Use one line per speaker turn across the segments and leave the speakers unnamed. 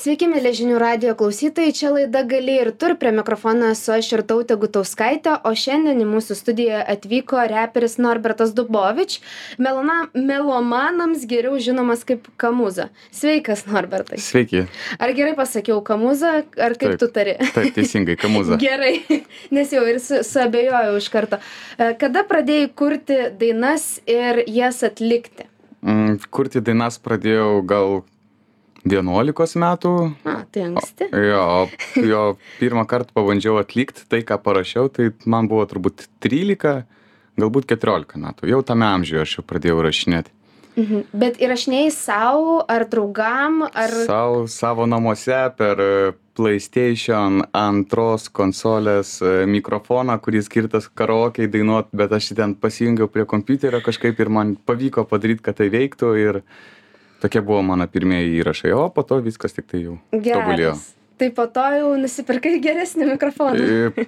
Sveiki, mėly žinių radijo klausytojai, čia laida Gali ir tu, prie mikrofono esu aš Irtautė Gutauskaitė, o šiandien į mūsų studiją atvyko reperis Norbertas Dubovič, melomanams geriau žinomas kaip Kamuza. Sveikas, Norbertai.
Sveiki.
Ar gerai pasakiau Kamuza, ar kaip tu tari?
Taip, teisingai, Kamuza.
Gerai, nes jau ir suabejojau iš karto. Kada pradėjai kurti dainas ir jas atlikti?
Kurti dainas pradėjau gal 11 metų.
Tai anksti.
Jo, pirmą kartą pabandžiau atlikti tai, ką parašiau, tai man buvo turbūt 13, galbūt 14 metų. Jau tame amžiuje aš jau pradėjau rašinėti.
Bet įrašinėjai savo, ar draugam, ar...
Savo namuose per PlayStation 2 konsolės mikrofoną, kuris skirtas karaokei dainuot, bet aš ten pasijungiau prie kompiuterio kažkaip ir man pavyko padaryti, kad tai veiktų ir tokie buvo mano pirmieji įrašai, o po to viskas tik tai jau tobulėjo.
Tai po to jau nusipirkai geresnį mikrofoną?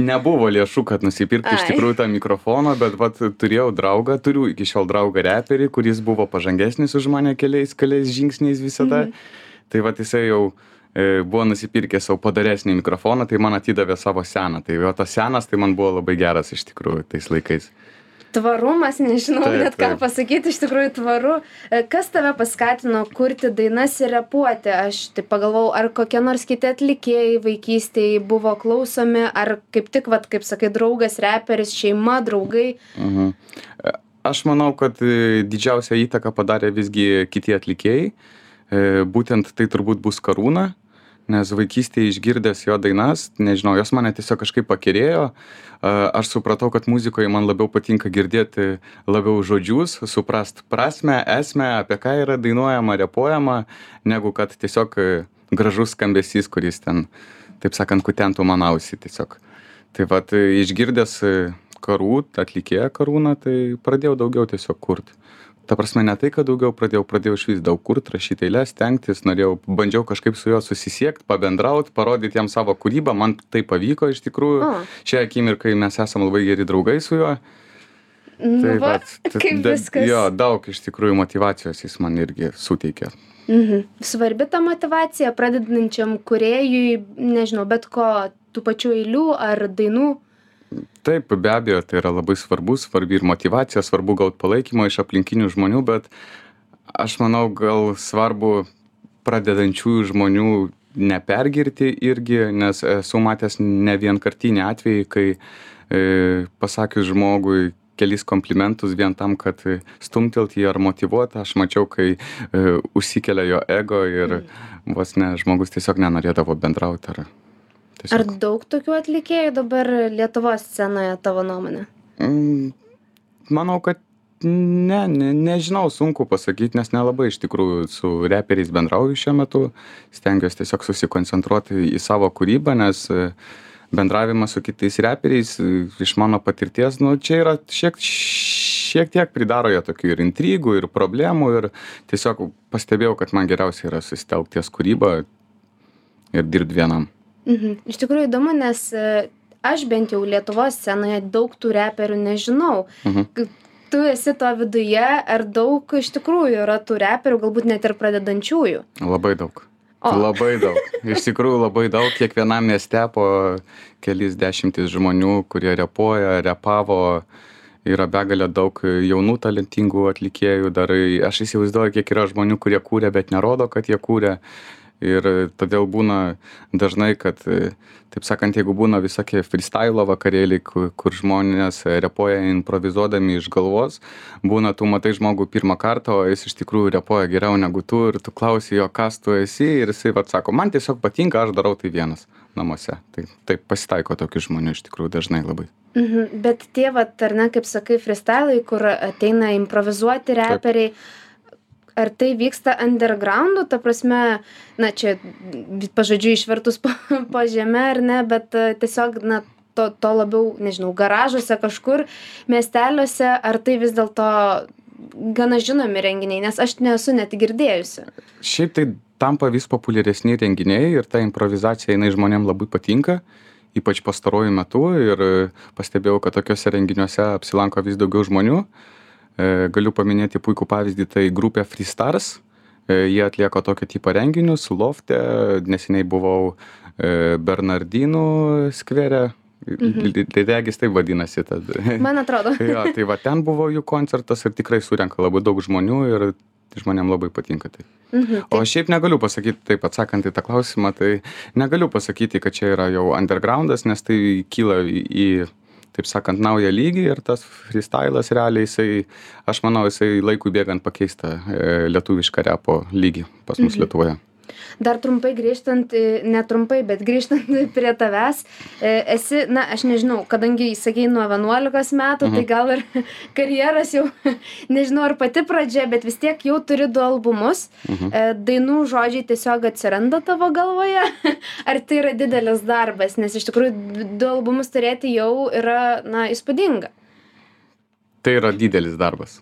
Nebuvo lėšų, kad nusipirkti iš tikrųjų tą mikrofoną, bet turiu iki šiol draugą reperį, kuris buvo pažangesnis už mane keliais žingsniais visada. Tai jisai jau buvo nusipirkęs savo padaresnį mikrofoną, tai man atidavė savo seną. Tai tas senas tai man buvo labai geras iš tikrųjų tais laikais.
Tvarumas, nežinau net ką pasakyti, iš tikrųjų tvaru. Kas tave paskatino kurti dainas ir repuoti? Aš taip pagalvojau, ar kokie nors kiti atlikėjai vaikystėje buvo klausomi, ar kaip tik, kaip sakai, draugas, reperis, šeima, draugai?
Aš manau, kad didžiausią įtaką padarė visgi kiti atlikėjai. Būtent tai turbūt bus Karūna, nes vaikystėje išgirdęs jo dainas, nežinau, jos mane tiesiog kažkaip pakerėjo. Aš supratau, kad muzikoje man labiau patinka girdėti labiau žodžius, suprast prasmę, esmę, apie ką yra dainuojama, repuojama, negu kad tiesiog gražus skambesys, kuris ten, taip sakant, kutentų man ausį tiesiog. Tai išgirdęs atlikėją Karūną, tai pradėjau daugiau tiesiog kurti. Ta prasme, ne tai, kad daugiau pradėjau išvis daug kurt, rašyti eiles, stengtis, bandžiau kažkaip su juo susisiekti, pabendrauti, parodyti jam savo kūrybą, man tai pavyko iš tikrųjų. Šią akimirką mes esame labai geri draugai su juo.
Kaip viskas.
Jo, daug iš tikrųjų motyvacijos jis man irgi suteikė.
Svarbi ta motyvacija pradedančiam kūrėjui, nežinau, bet ko, tų pačių eilių ar dainų?
Taip, be abejo, tai yra labai svarbi ir motyvacija, svarbu gauti palaikymą iš aplinkinių žmonių, bet aš manau, gal svarbu pradedančiųjų žmonių nepergirti irgi, nes esu matęs ne vienkartinį atvejį, kai pasakius žmogui kelis komplimentus vien tam, kad stumtelt jį ar motyvuoti, aš mačiau, kai užsikelia jo ego ir vos ne, žmogus tiesiog nenorėdavo bendrauti ar...
Ar daug tokių atlikėjų dabar Lietuvos scenoje, tavo nuomonė?
Manau, kad nežinau, sunku pasakyti, nes nelabai iš tikrųjų su reperiais bendrauju šiuo metu. Stengiuosi tiesiog susikoncentruoti į savo kūrybą, nes bendravimas su kitais reperiais iš mano patirties, čia yra šiek tiek pridaro jie tokių ir intrigų, ir problemų, ir tiesiog pastebėjau, kad man geriausia yra susitelkti ties kūrybą ir dirbti vienam.
Iš tikrųjų įdomu, nes aš bent jau Lietuvos scenoje daug tų reperių nežinau. Tu esi to viduje, ar daug iš tikrųjų yra tų reperių, galbūt net ir pradedančiųjų?
Labai daug. Labai daug. Iš tikrųjų labai daug. Kiekvienam mieste po kelis dešimtis žmonių, kurie repavo, yra begalė daug jaunų talentingų atlikėjų. Dar aš įsivaizduoju, kiek yra žmonių, kurie kūrė, bet nerodo, kad jie kūrė. Ir todėl būna dažnai, kad, taip sakant, jeigu būna visokie freestyle vakarėliai, kur žmonės repuoja improvizuodami iš galvos, būna tu matai žmogų pirmą kartą, o jis iš tikrųjų repuoja geriau negu tu ir tu klausi jo, kas tu esi ir jisai sako, man tiesiog patinka, aš darau tai vienas namuose. Tai pasitaiko tokių žmonių iš tikrųjų dažnai labai.
Bet tie, ar ne, kaip sakai, freestyle, kur ateina improvizuoti reperiai, ar tai vyksta undergroundu, ta prasme, čia pažodžiu išvertus po žemę, ar ne, bet tiesiog, to labiau, nežinau, garažuose kažkur, miesteliuose, ar tai vis dėlto gana žinomi renginiai, nes aš nesu net girdėjusi.
Šiaip tai tampa vis populiaresni renginiai ir ta improvizacija, jinai žmonėm labai patinka, ypač pastaruoju metu ir pastebėjau, kad tokiuose renginiuose apsilanko vis daugiau žmonių. Galiu paminėti puikų pavyzdį, tai grupė Freestars, Jie atlieka tokio tipo renginius lofte, neseniai buvau Bernardinų skvere, regis taip vadinasi.
Man atrodo.
Jo, tai va ten buvo jų koncertas ir tikrai surenka labai daug žmonių ir žmonėm labai patinka tai. O šiaip negaliu pasakyti, taip atsakant į tą klausimą, tai negaliu pasakyti, kad čia yra jau undergroundas, nes tai kyla į taip sakant, naują lygį ir tas freestylas realiai aš manau, jisai laikui bėgant pakeista lietuvišką repo lygį pas mus Lietuvoje.
Dar trumpai grįžtant, netrumpai, bet grįžtant prie tavęs, esi, aš nežinau, kadangi sakei nuo 11 metų, tai gal ir karjeras jau, nežinau, ar pati pradžia, bet vis tiek jau turi 2 albumus, dainų žodžiai tiesiog atsiranda tavo galvoje, ar tai yra didelis darbas, nes iš tikrųjų 2 albumus turėti jau yra, įspūdinga.
Tai yra didelis darbas.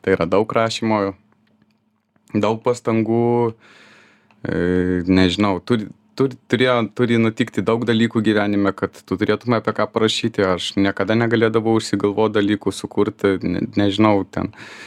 Tai yra daug rašymo, daug pastangų, nežinau, turi nutikti daug dalykų gyvenime, kad tu turėtume apie ką parašyti. Aš niekada negalėdavau užsigalvoti dalykų sukurti, nežinau,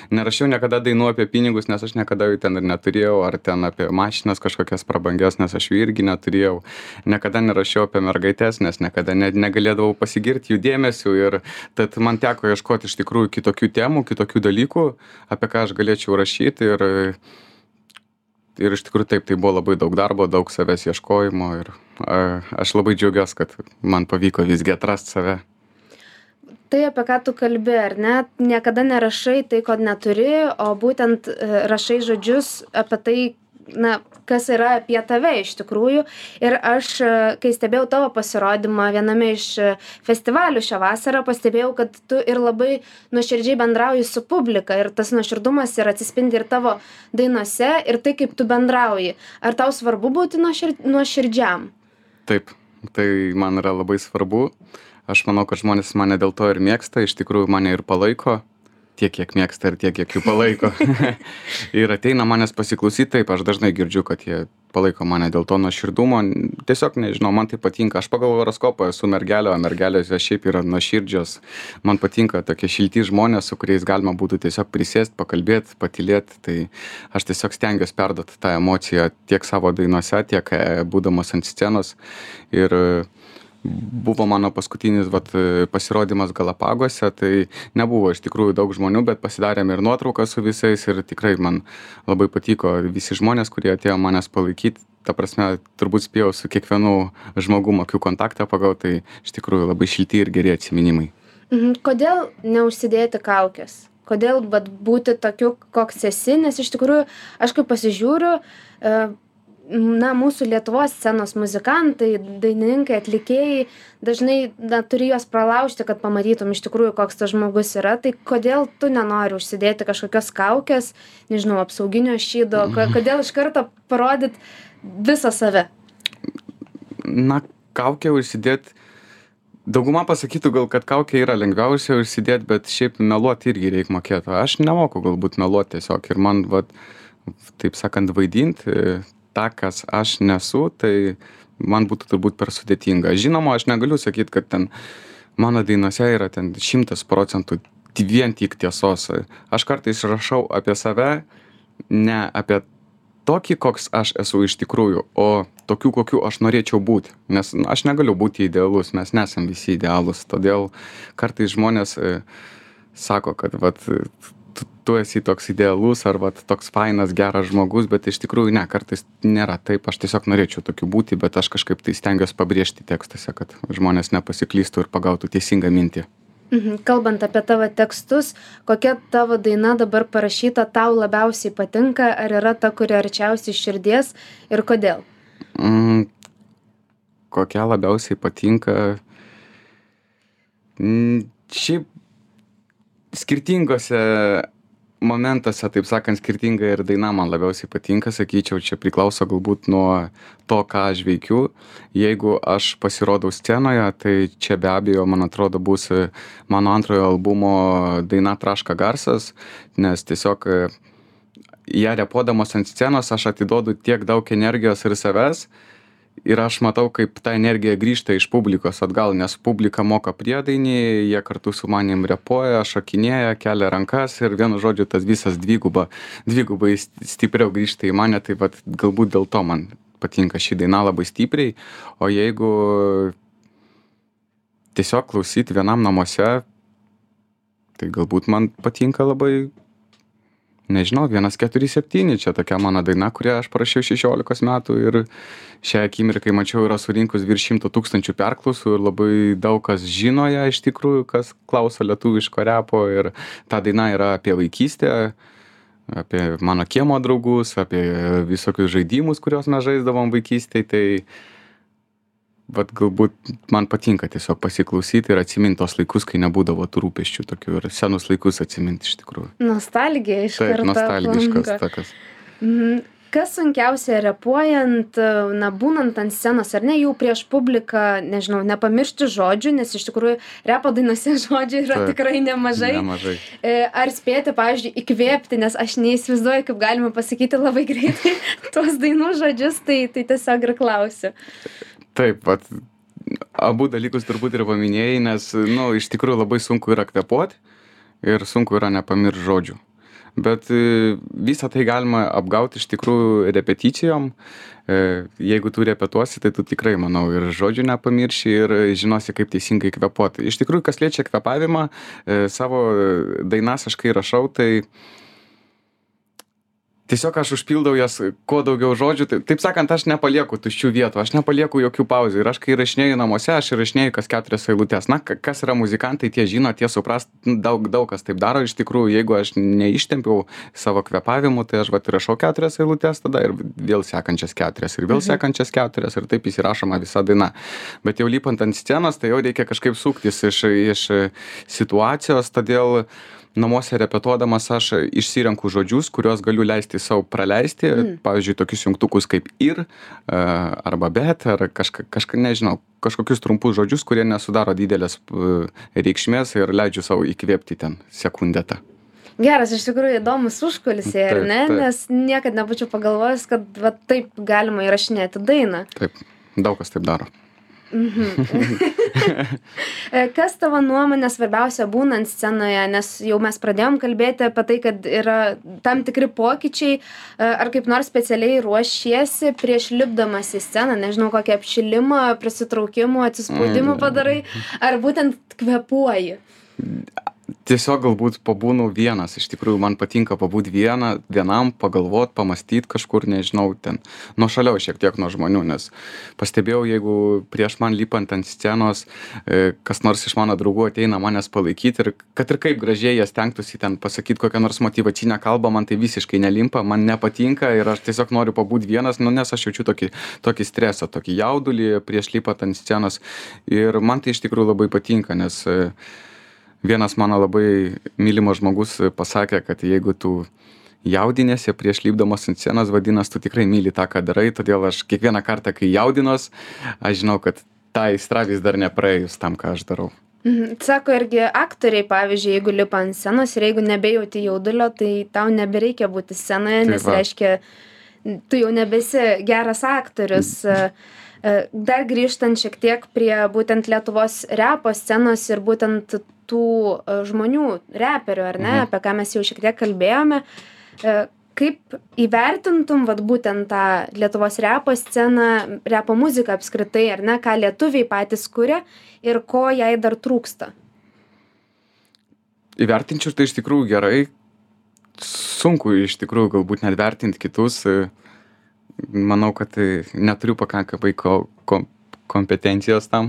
nerašiau niekada dainų apie pinigus, nes aš niekada jų ten ir neturėjau, ar ten apie mašinas kažkokias prabangias, nes aš jų irgi neturėjau. Niekada nerašiau apie mergaitės, nes niekada negalėdavau pasigirti jų dėmesiu ir tad man teko ieškoti iš tikrųjų kitokių temų, kitokių dalykų, apie ką aš galėčiau rašyti ir iš tikrųjų taip, tai buvo labai daug darbo, daug savęs ieškojimo ir aš labai džiaugiuosi, kad man pavyko visgi atrasti save.
Tai apie ką tu kalbi, ar ne? Niekada nerašai tai, ko neturi, o būtent rašai žodžius apie tai, kas yra apie tave iš tikrųjų. Ir aš, kai stebėjau tavo pasirodymą viename iš festivalių šią vasarą, pastebėjau, kad tu ir labai nuoširdžiai bendrauji su publika ir tas nuoširdumas ir atsispindi ir tavo dainose ir tai, kaip tu bendrauji. Ar tau svarbu būti nuoširdžiam?
Taip, tai man yra labai svarbu. Aš manau, kad žmonės mane dėl to ir mėgsta, iš tikrųjų mane ir palaiko. Tiek, kiek mėgsta ir tiek, kiek jų palaiko. Ir ateina manęs pasiklausyti, taip, aš dažnai girdžiu, kad jie palaiko mane dėl to nuoširdumo. Tiesiog, nežinau, man tai patinka. Aš pagal horoskopą esu mergelė, o mergelės šiaip yra nuoširdžios. Man patinka tokie šilti žmonės, su kuriais galima būtų tiesiog prisėsti, pakalbėti, patylėti. Tai aš tiesiog stengiuosi perduoti tą emociją tiek savo dainose, tiek būdamas ant scenos. Ir buvo mano paskutinis pasirodymas Galapagose, tai nebuvo iš tikrųjų daug žmonių, bet pasidarėm ir nuotrauką su visais ir tikrai man labai patiko visi žmonės, kurie atėjo manęs palaikyti. Ta prasme, turbūt spėjau su kiekvienu žmogum akių kontaktą pagauti, tai iš tikrųjų labai šilti ir geri atsiminimai.
Kodėl neužsidėti kaukės? Kodėl būti tokiu, koks esi? Nes iš tikrųjų, aš kaip pasižiūriu, mūsų Lietuvos scenos muzikantai, dainininkai, atlikėjai dažnai turi juos pralaužti, kad pamatytum iš tikrųjų, koks tas žmogus yra. Tai kodėl tu nenori užsidėti kažkokios kaukės, nežinau, apsauginio šydo, kodėl iš karto parodyt visą save?
Kaukę užsidėti, dauguma pasakytų gal, kad kaukę yra lengviausia užsidėti, bet šiaip meluoti irgi reikia mokėti. Aš nemoku galbūt meluoti tiesiog ir man, taip sakant, vaidinti tą, kas aš nesu, tai man būtų turbūt per sudėtinga. Žinoma, aš negaliu sakyti, kad ten mano dainose yra ten 100% vien tik tiesos. Aš kartais rašau apie save, ne apie tokį, koks aš esu iš tikrųjų, o tokių, kokių aš norėčiau būti. Nes aš negaliu būti idealus, mes nesam visi idealus. Todėl kartais žmonės sako, kad tu esi toks idealus ar toks fainas, geras žmogus, bet iš tikrųjų ne, kartais nėra taip, aš tiesiog norėčiau tokiu būti, bet aš kažkaip tai stengiuosi pabrėžti tekstuose, kad žmonės nepasiklystų ir pagautų teisingą mintį.
Kalbant apie tavo tekstus, kokia tavo daina dabar parašyta tau labiausiai patinka, ar yra ta, kuri arčiausiai širdies ir kodėl?
Kokia labiausiai patinka? Šiaip skirtingose momentuose, taip sakant, skirtinga ir daina man labiausiai patinka, sakyčiau, čia priklauso galbūt nuo to, ką aš veikiu. Jeigu aš pasirodau scenoje, tai čia be abejo, man atrodo, bus mano antrojo albumo daina Traška garsas, nes tiesiog ją repuodamas ant scenos aš atiduodu tiek daug energijos ir savęs ir aš matau, kaip ta energija grįžta iš publikos atgal, nes publika moka priedainį, jie kartu su manim repuoja, šokinėja, kelia rankas ir vienu žodžiu tas visas dvigubai stipriau grįžta į mane, tai vat, galbūt dėl to man patinka ši daina labai stipriai, o jeigu tiesiog klausyti vienam namuose, tai galbūt man patinka labai, nežinau, 147, čia tokia mano daina, kurią aš parašiau 16 metų ir šią akimirką mačiau yra surinkus virš 100 000 perklausų ir labai daug kas žino ją iš tikrųjų, kas klauso lietuviško repo ir ta daina yra apie vaikystę, apie mano kiemo draugus, apie visokius žaidimus, kuriuos mes žaisdavom vaikystėje, tai vat galbūt man patinka tiesiog pasiklausyti ir atsiminti tos laikus, kai nebūdavo tų rūpesčių tokių ir senus laikus atsiminti iš tikrųjų.
Nostalgija iš karto.
Taip, nostalgiškas tokas.
Kas sunkiausia repuojant, na, būnant ant scenos, ar ne, jau prieš publiką, nežinau, nepamiršti žodžių, nes iš tikrųjų repo dainose žodžių yra tikrai nemažai. Ar spėti, pavyzdžiui, įkvėpti, nes aš neįsivaizduoju, kaip galima pasakyti labai greitai tuos dainų žodžius, tai tiesiog ir klausiu.
Taip, vat, abu dalykus turbūt ir paminėjai, nes, nu, iš tikrųjų labai sunku yra kvėpuoti ir sunku yra nepamiršti žodžių. Bet visą tai galima apgauti iš tikrųjų repeticijom. Jeigu tu repetuosi, tai tu tikrai, manau, ir žodžių nepamirši ir žinosi, kaip teisingai kvėpuoti. Iš tikrųjų, kas liečia kvėpavimą, savo dainas aš kai rašau, tai tiesiog aš užpildau jas kuo daugiau žodžių, taip sakant, aš nepalieku tuščių vietų, aš nepalieku jokių pauzių ir aš kai rašinėju namuose, aš rašinėju kas 4 eilutes. Na, kas yra muzikantai, tie žino, tie supras, daug kas taip daro, iš tikrųjų, jeigu aš neištempiau savo kvėpavimu, tai aš vat rašau 4 eilutes tada ir vėl sekančias 4 ir vėl sekančias 4 ir taip įsirašoma visa daina. Bet jau lipant ant scenos, tai jau reikia kažkaip suktis iš situacijos, todėl namuose repetuodamas aš išsirenku žodžius, kuriuos galiu leisti savo praleisti, pavyzdžiui, tokius jungtukus kaip ir, arba bet, ar kažką, nežinau, kažkokius trumpus žodžius, kurie nesudaro didelės reikšmės ir leidžiu savo įkvėpti ten sekundetą.
Geras, iš tikrųjų įdomus užkulisiai, ar ne? Taip. Nes niekad nebūčiau pagalvojęs, kad va, taip galima įrašinėti dainą.
Taip, daug kas taip daro.
Kas tavo nuomonė svarbiausia būnant scenoje, nes jau mes pradėjom kalbėti apie tai, kad yra tam tikri pokyčiai, ar kaip nors specialiai ruošiesi prieš lipdamas į sceną, nežinau, kokį apšilimą, prisitraukimų, atsispaudimų padarai, ar būtent kvėpuoji?
Tiesiog galbūt pabūnu vienas, iš tikrųjų man patinka pabūti vienam, pagalvot, pamąstyt kažkur, nežinau, ten nuošaliau šiek tiek nuo žmonių, nes pastebėjau, jeigu prieš man lipant ant scenos, kas nors iš mano draugų ateina manęs palaikyti ir kad ir kaip gražiai jie stengtųsi ten pasakyti kokią nors motyvacinę kalbą, man tai visiškai nelimpa, man nepatinka ir aš tiesiog noriu pabūti vienas, nu, nes aš jaučiu tokį stresą, tokį jaudulį prieš lipant ant scenos ir man tai iš tikrųjų labai patinka, nes vienas mano labai mylimas žmogus pasakė, kad jeigu tu jaudinėsi prieš lipdamas ant scenos, vadinas, tu tikrai myli tą, ką darai, todėl aš kiekvieną kartą, kai jaudinos, aš žinau, kad ta aistra vis dar nepraėjus tam, ką aš darau.
Sako irgi aktoriai, pavyzdžiui, jeigu lipa ant scenos ir jeigu nebejauti jaudulio, tai tau nebereikia būti scenoje, nes reiškia, tu jau nebesi geras aktorius. Dar grįžtant šiek tiek prie būtent Lietuvos repo scenos ir būtent tų žmonių, reperių, ar ne, apie ką mes jau šiek tiek kalbėjome, kaip įvertintum vat būtent tą Lietuvos repo sceną, repo muziką apskritai, ar ne, ką lietuviai patys kuria ir ko jai dar trūksta?
Įvertinčiau tai iš tikrųjų gerai, sunku iš tikrųjų galbūt net vertinti kitus, manau, kad neturiu pakankamai kompetencijos tam,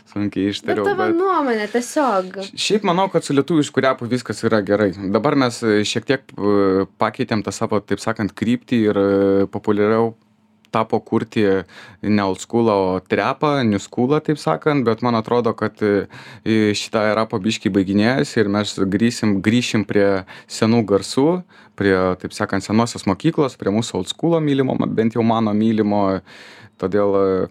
sunkiai ištariau.
Bet tavo nuomonė tiesiog.
Šiaip manau, kad su lietuvišku repu viskas yra gerai. Dabar mes šiek tiek pakeitėm tą savo, taip sakant, kryptį ir populiariau tapo kurti ne old schoolą, o trepą, new schoolą, taip sakant, bet man atrodo, kad šitą repo biškį baiginėjasi ir mes grįšim prie senų garsų, prie, taip sakant, senosios mokyklos, prie mūsų old schoolo mylimo, bent jau mano mylimo, todėl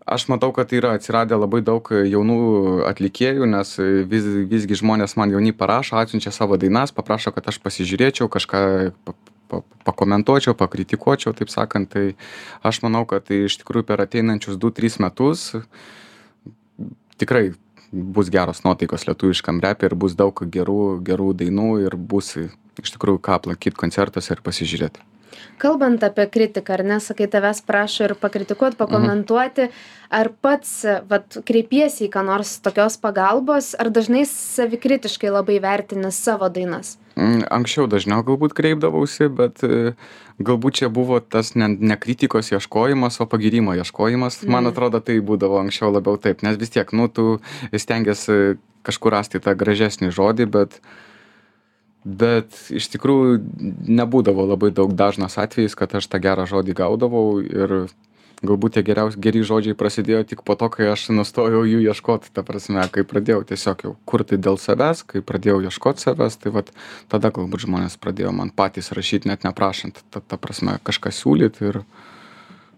aš matau, kad yra atsiradę labai daug jaunų atlikėjų, nes visgi žmonės man jauni parašo, atsiunčia savo dainas, paprašo, kad aš pasižiūrėčiau, kažką pakomentuočiau, pakritikuočiau, taip sakant. Tai aš manau, kad iš tikrųjų per ateinančius 2-3 metus tikrai bus geros nuotaikos lietuviškam repe ir bus daug gerų dainų ir bus iš tikrųjų ką aplankyt koncertuose ir pasižiūrėti.
Kalbant apie kritiką, ar ne, sakai, tavęs prašo ir pakritikuoti, pakomentuoti, ar pats kreipiesi į ką nors tokios pagalbos, ar dažnai savikritiškai labai vertini savo dainas?
Anksčiau dažniau galbūt kreipdavausi, bet galbūt čia buvo tas ne kritikos ieškojimas, o pagyrimo ieškojimas. Man atrodo, tai būdavo anksčiau labiau taip, nes vis tiek, tu stengiasi kažkur rasti tą gražesnį žodį, bet iš tikrųjų nebūdavo labai dažnas atvejis, kad aš tą gerą žodį gaudavau ir galbūt tie geri žodžiai prasidėjo tik po to, kai aš nustojau jų ieškoti, ta prasme, kai pradėjau tiesiog jau kurti dėl savęs, kai pradėjau ieškoti savęs, tai tada galbūt žmonės pradėjo man patys rašyti, net neprašant, ta prasme, kažką siūlyti ir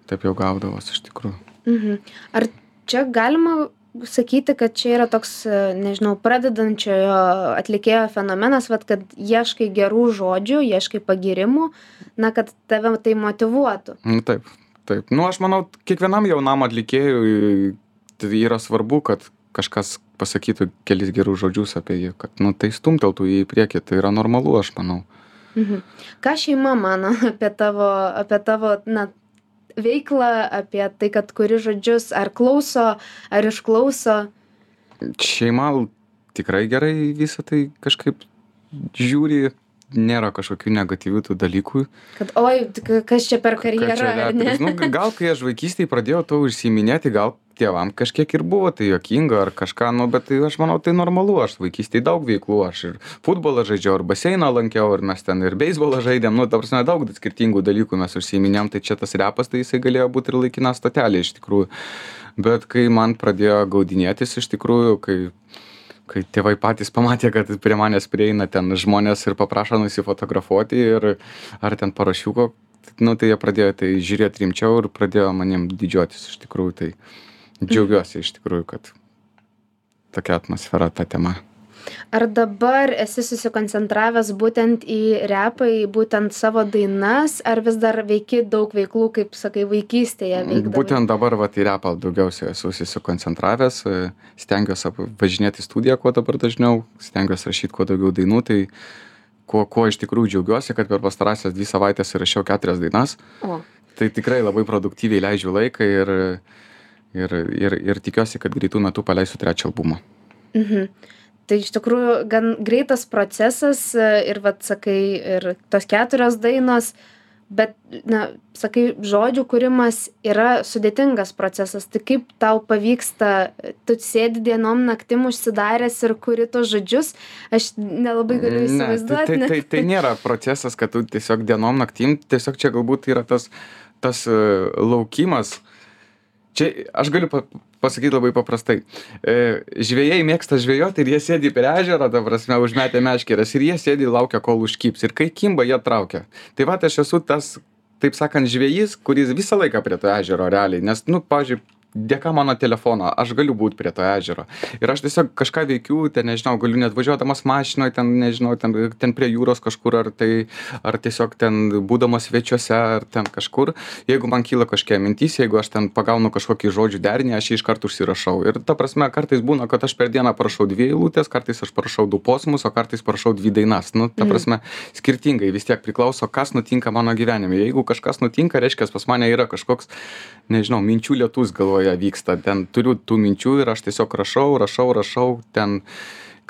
taip jau gaudavos iš tikrųjų.
Ar čia galima sakyti, kad čia yra toks, nežinau, pradedančiojo atlikėjo fenomenas, kad ieškai gerų žodžių, ieškai pagyrimų, kad tave tai motyvuotų?
Taip. Aš manau, kiekvienam jaunam atlikėjui tai yra svarbu, kad kažkas pasakytų kelis gerus žodžius apie jį, kad tai stumteltų jį į priekį, tai yra normalu, aš manau.
Ką šeima mano apie tavo veiklą, apie tai, kad kuri žodžius, ar klauso, ar išklauso?
Šeima tikrai gerai visą tai kažkaip žiūri, nėra kažkokių negatyvių tų dalykų.
Kad, kas čia per karjerą, ar ne?
Gal kai aš vaikystėje pradėjau to užsiiminėti, gal tėvam kažkiek ir buvo tai juokinga ar kažką, bet tai aš manau, tai normalu, aš vaikystėje daug veiklų, aš ir futbolą žaidžiau, ir baseiną lankiau, ir mes ten ir beisbolą žaidėm, ta prasme, daug skirtingų dalykų mes užsiiminėm, tai čia tas repas, tai jisai galėjo būti ir laikina stotelė iš tikrųjų. Bet kai man pradėjo gaudinėtis iš tikrųjų, kai tėvai patys pamatė, kad prie manęs prieina ten žmonės ir paprašo nusifotografuoti ir ar ten parašiuko, tai jie pradėjo tai žiūrėti rimčiau ir pradėjo manim didžiuotis iš tikrųjų, tai džiaugiuosi iš tikrųjų, kad tokia atmosfera ta tema.
Ar dabar esi susikoncentravęs būtent į repą, į būtent savo dainas, ar vis dar veiki daug veiklų, kaip sakai, vaikystėje veikdavai?
Būtent dabar į repą daugiausiai esu susikoncentravęs, stengiuosi važinėti į studiją kuo dabar dažniau, stengiuosi rašyti kuo daugiau dainų, tai kuo iš tikrųjų džiaugiuosi, kad per pastarąsias 2 savaitės įrašiau 4 dainas. Tai tikrai labai produktyviai leidžiu laiką ir tikiuosi, kad greitų metų paleisiu 3 albumą.
Tai iš tikrųjų gan greitas procesas ir, sakai, ir tos 4 dainos, bet, sakai, žodžių kūrimas yra sudėtingas procesas. Tai kaip tau pavyksta, tu sėdi dienom naktim užsidaręs ir kuri tos žodžius? Aš nelabai galiu įsivaizduoti.
Tai nėra procesas, kad tu tiesiog dienom naktim, tiesiog čia galbūt yra tas laukimas. Čia aš galiu pasakyti labai paprastai. Žvejai mėgsta žvejoti ir jie sėdi prie ežero, ta prasme, užmetę meškeres ir jie sėdi laukia, kol užkibs. Ir kai kimba, jie traukia. Tai aš esu tas, taip sakant, žvejys, kuris visą laiką prie to ežero realiai. Nes, pavyzdžiui, dėka mano telefono, aš galiu būti prie to ežero. Ir aš tiesiog kažką veikiu, ten, nežinau, galiu net važiuodamas mašinoje, ten, nežinau, ten prie jūros kažkur, ar tiesiog ten būdamas svečiuose, ar ten kažkur. Jeigu man kyla kažkokia mintis, jeigu aš ten pagaunu kažkokį žodžių derinį, aš jį iš karto užsirašau. Ir ta prasme, kartais būna, kad aš per dieną parašau 2 eilutes, kartais aš parašau 2 posmus, o kartais parašau 2 dainas. Ta prasme, skirtingai vis tiek priklauso, kas nutinka mano gyvenime. Jeigu kažkas nutinka, reiškia, pas mane yra kažkoks, nežinau, minčių lietus galvoje vyksta, ten turiu tų minčių ir aš tiesiog rašau, ten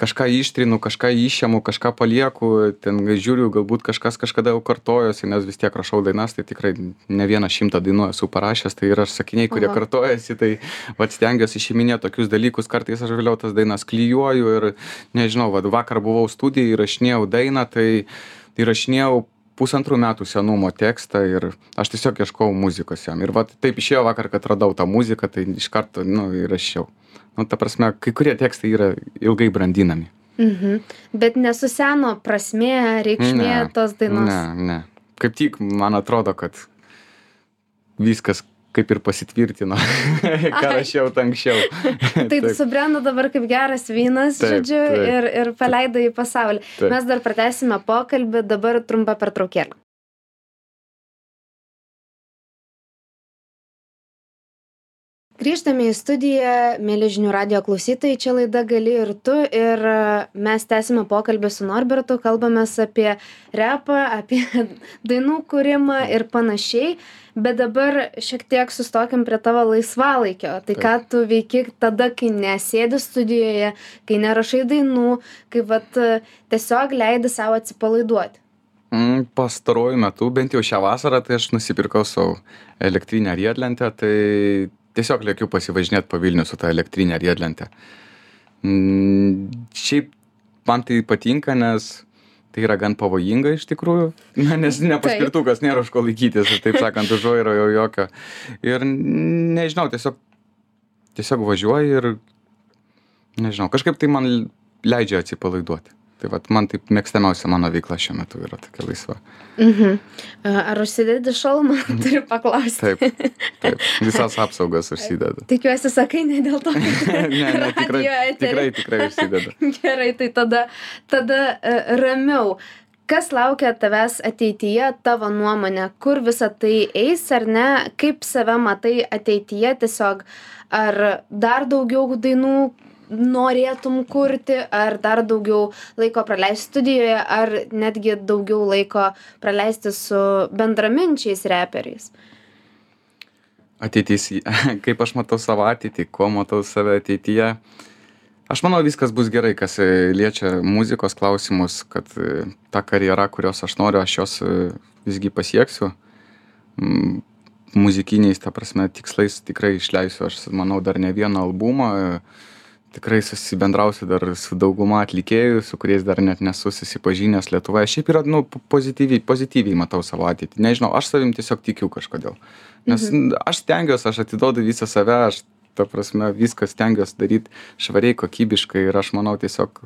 kažką ištrinu, kažką išimu, kažką palieku, ten žiūriu, galbūt kažkas kažkada jau kartojosi, nes vis tiek rašau dainas, tai tikrai ne 100 dainų esu parašęs, tai yra sakiniai, kurie kartojasi, tai stengiuosi išiminėti tokius dalykus, kartais aš vėliau tas dainas klijuoju ir nežinau, vakar buvau studijai, įrašinėjau dainą, tai įrašinėjau 1,5 metų senumo tekstą ir aš tiesiog ieškojau muzikos jam. Ir taip išėjo vakar, kad radau tą muziką, tai iš karto įrašiau. Ta prasme, kai kurie tekstai yra ilgai brandinami.
Bet nesuseno prasmė, reikšmė tos dainos?
Ne. Kaip tik, man atrodo, kad viskas kaip ir pasitvirtino, ką rašiau anksčiau.
Tai subrendo dabar kaip geras vynas, žodžiu, ir paleido į pasaulį. Mes dar pratęsime pokalbį, dabar trumpa pertraukėlė. Grįžtame į studiją, mėly žinių radijo klausytojai, čia laida Gali ir tu ir mes tęsime pokalbį su Norbertu, kalbamės apie repą, apie dainų kūrimą ir panašiai, bet dabar šiek tiek sustokim prie tavo laisvalaikio. Tai ką tu veiki tada, kai nesėdi studijoje, kai nerašai dainų, kai tiesiog leidi savo atsipalaiduoti?
Pastaruoju metu, bent jau šią vasarą, tai aš nusipirkau savo elektrinę riedlentę, tai tiesiog lėkiu pasivažinėti po Vilnių su ta elektrinė riedlentė. Šiaip man tai patinka, nes tai yra gan pavojinga iš tikrųjų, nes ne paspirtukas, nėra už ko laikytis, taip sakant, už vairo jau jokio. Ir nežinau, tiesiog važiuoju ir nežinau, kažkaip tai man leidžia atsipalaiduoti. Tai man taip mėgstamiausia mano veikla šiuo metu yra tokia laisva.
Ar užsidedi šalmą, turiu paklausti.
Taip, visas apsaugas užsidedu.
Tikiuosi, sakai, ne dėl to, kad
ne, tikrai užsidedu.
Gerai, tai tada ramiau. Kas laukia tavęs ateityje, tavo nuomonė, kur visa tai eis ar ne, kaip save matai ateityje tiesiog, ar dar daugiau dainų norėtum kurti, ar dar daugiau laiko praleisti studijoje, ar netgi daugiau laiko praleisti su bendraminčiais reperiais?
Ateitis, kaip aš matau savo ateitį, ko matau save ateityje. Aš manau, viskas bus gerai, kas liečia muzikos klausimus, kad ta karjera, kurios aš noriu, aš jos visgi pasieksiu. Muzikiniais, ta prasme, tikslais tikrai išleisiu, aš manau, dar ne vieną albumą. Tikrai susibendrausiu dar su dauguma atlikėjų, su kuriais dar net nesu susipažinęs Lietuvoje. Šiaip yra, pozityviai matau savo ateitį. Nežinau, aš savim tiesiog tikiu kažkodėl. Nes aš stengiuosi, aš atiduodu visą save, aš, ta prasme, viską stengiuosi daryti švariai, kokybiškai ir aš manau tiesiog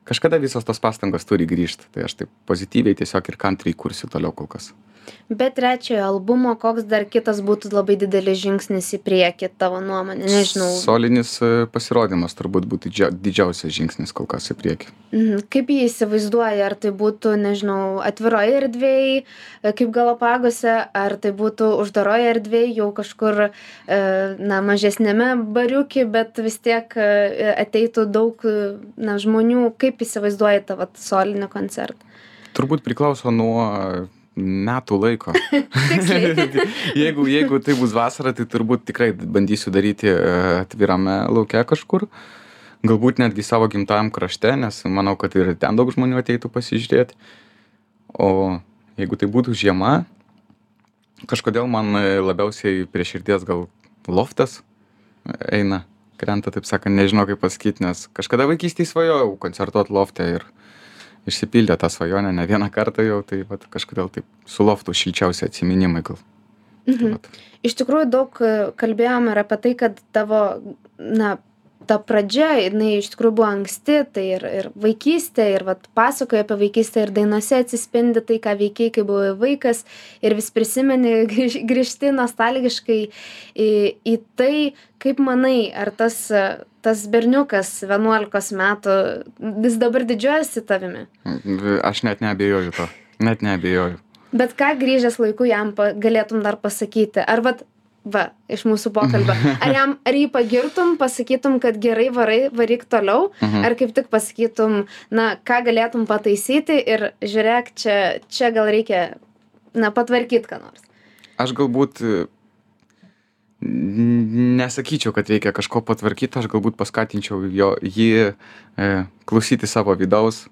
kažkada visos tos pastangos turi grįžti. Tai aš taip pozityviai tiesiog ir kantriai kursiu toliau kol kas.
Be trečiojo albumo, koks dar kitas būtų labai didelis žingsnis į priekį, tavo nuomonė, nežinau.
Solinis pasirodymas turbūt būtų didžiausias žingsnis kol kas į priekį.
Kaip jį įsivaizduoji, ar tai būtų, nežinau, atviroje erdvėje, kaip Galapagose, ar tai būtų uždaroje erdvėje, jau kažkur, mažesnėme bariuki, bet vis tiek ateitų daug žmonių, kaip įsivaizduoji tavo solinį koncertą?
Turbūt priklauso nuo metų laiko. Jeigu tai bus vasara, tai turbūt tikrai bandysiu daryti atvirame lauke kažkur. Galbūt netgi savo gimtajam krašte, nes manau, kad ir ten daug žmonių ateitų pasižiūrėti. O jeigu tai būtų žiema, kažkodėl man labiausiai prie širdies gal loftas eina, krenta, taip sakant, nežinau kaip pasakyti, nes kažkada vaikystėje svajojau koncertuoti lofte ir išsipildė tą svajonę ne vieną kartą jau, tai kažkodėl taip su loftu šilčiausi atsiminimai gal.
Iš tikrųjų daug kalbėjome ir apie tai, kad tavo, ta pradžia, jinai iš tikrųjų buvo anksti, tai ir vaikystė, ir pasakoja apie vaikystę, ir dainose atsispindi tai, ką veikiai, kai buvai vaikas, ir vis prisimeni, grįžti nostalgiškai į tai, kaip manai, ar tas berniukas 11 metų vis dabar didžiuojasi tavimi?
Aš net neabejoju to,
Bet ką grįžęs laiku jam galėtum dar pasakyti? Ar iš mūsų pokalbio, ar jį pagirtum, pasakytum, kad gerai varyk toliau, ar kaip tik pasakytum, ką galėtum pataisyti ir žiūrėk, čia gal reikia, patvarkyti ką nors?
Aš galbūt nesakyčiau, kad reikia kažko patvarkyti, aš galbūt paskatinčiau jį klausyti savo vidaus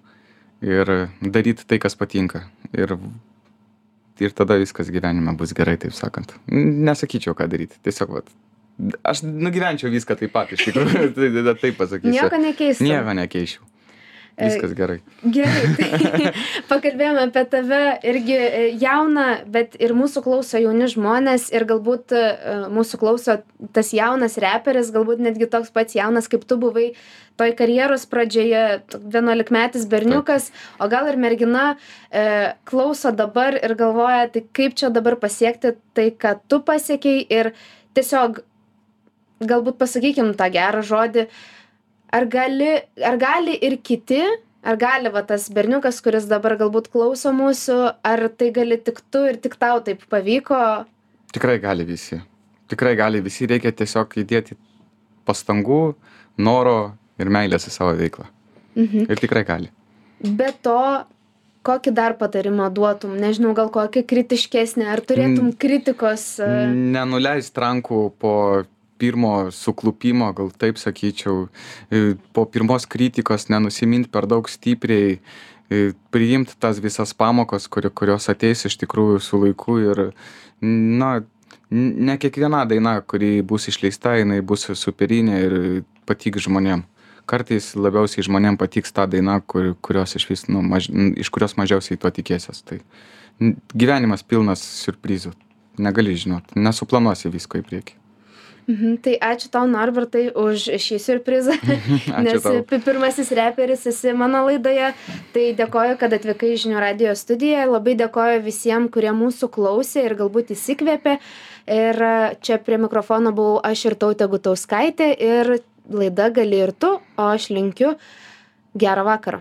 ir daryti tai, kas patinka. Ir tada viskas gyvenime bus gerai, taip sakant. Nesakyčiau, ką daryti. Tiesiog, aš nugyvenčiau viską taip pat, iš tikrųjų, taip pasakysiu.
Nieko nekeistum?
Nieko nekeičiau. Viskas gerai.
Gerai, tai pakalbėjome apie tave irgi jauną, bet ir mūsų klauso jauni žmonės ir galbūt mūsų klauso tas jaunas reperis, galbūt netgi toks pats jaunas, kaip tu buvai toj karjeros pradžioje, 11-metis berniukas, o gal ir mergina klauso dabar ir galvoja, tai kaip čia dabar pasiekti tai, ką tu pasiekei ir tiesiog galbūt pasakykim tą gerą žodį, ar gali ir kiti, ar gali tas berniukas, kuris dabar galbūt klauso mūsų, ar tai gali tik tu ir tik tau taip pavyko?
Tikrai gali visi. Tikrai gali, visi reikia tiesiog įdėti pastangų, noro ir meilės į savo veiklą. Ir tikrai gali.
Be to, kokį dar patarimą duotum? Nežinau, gal kokį kritiškesnį, ar turėtum kritikos?
Nenuleist rankų po pirmo suklupimo, gal taip sakyčiau, po pirmos kritikos nenusimint per daug stipriai, priimt tas visas pamokas, kurios ateis iš tikrųjų su laiku ir, na, ne kiekviena daina, kuri bus išleista, jinai bus superinė ir patiks žmonėm. Kartais labiausiai žmonėm patiks ta daina, kurios iš kurios mažiausiai to tikėsies. Tai gyvenimas pilnas siurprizų. Negali žinot, nesuplanuosi visko į priekį.
Tai ačiū tau, Norbertai, už šį siurprizą, nes pirmasis reperis esi mano laidoje. Tai dėkoju, kad atvykai į Žinių radijo studiją. Labai dėkoju visiems, kurie mūsų klausė ir galbūt įsikvėpė. Ir čia prie mikrofono buvau aš ir Tautė Gutauskaitė ir laida Gali ir tu, o aš linkiu gerą vakarą.